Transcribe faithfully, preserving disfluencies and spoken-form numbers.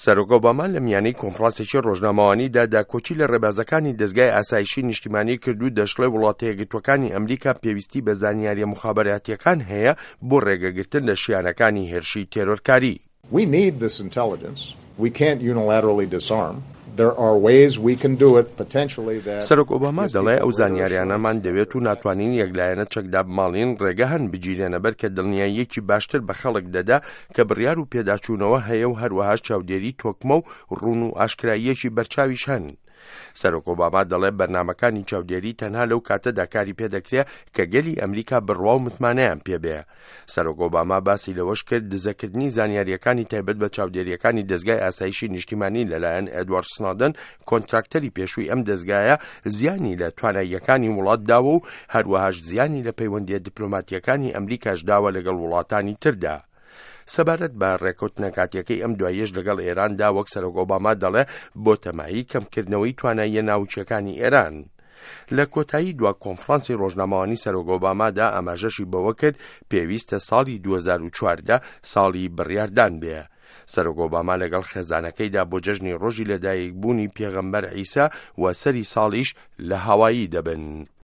سەرۆک ئۆباما لە میانەی کۆنفرانسێکی ڕۆژنامەوانیدا داکۆکی لە ڕێبازەکانی دەزگای ئاسایشی نیشتیمانی کرد و دەشڵێ وڵاتە یەکگرتووەکانی ئەمریکا پێویستی بە زانیاریە موخابەراتیەکان هەیە بۆ ڕێگەگرتن لە شیانەکانی هێرشی تێرۆرکاری. We need this intelligence. We can't unilaterally disarm. There are ways we can do it potentially that سەرۆک ئۆباما دەڵێ ئەو زانیاریانەمان دەوێت و ناتوانین یەکلایەنە چەک دابماڵین، ڕێگە هەن بگیرێنە بەر کە دڵنیاییەکی باشتر بە خەڵک دەدا کە بڕیار و پێداچوونەوە هەیە و هەروەهاش چاودێری تۆکمە و ڕوون و ئاشکراییەکی بەرچاویش هەن. سەرۆک ئۆباما دەڵێ بەرنامەکانی چاودێری تەنها لەو کاتەدا کاری پێدەکرێ کە گەلی ئەمریکا بڕوا و متمانەیان پێبێ. سەرۆک ئۆباما باسی لەوەش کرد دزەکردنی زانیاریەکانی تایبەت بە چاودێریەکانی دەزگای ئاسایشی نیشتیمانی لەلایەن ئێدوارد سنۆدن، کۆنتراکتەری پێشووی ئەم دەزگایە، زیانی لە تواناییەکانی وڵات داوە و هەروەهاش زیانی لە پەیوەندیە دیپلۆماتیەکانی ئەمریکاش داوە لەگەڵ وڵاتانی تردا. سەبارەت بە ڕێکەوتنە کاتیەکەی ئەم دواییەش لەگەڵ ئێراندا، وەک سەرۆک ئۆباما دەڵێ بۆ تەمایی کەمکردنەوەی تواناییە ناوچەکانی ئێران. لە کۆتایی دوا کۆنفرانسی ڕۆژنامەوانی سەرۆک ئۆبامادا ئاماژەشی بەوە کرد پێویستە ساڵی دوو هەزار و چواردە ساڵی بڕیاردان بێ. سەرۆک ئۆباما لەگەڵ خێزانەکەیدا بۆ جەژنی ڕۆژی لەدایکبوونی پێغەمبەر عیسا و سەری ساڵیش لە هاوایی دەبن.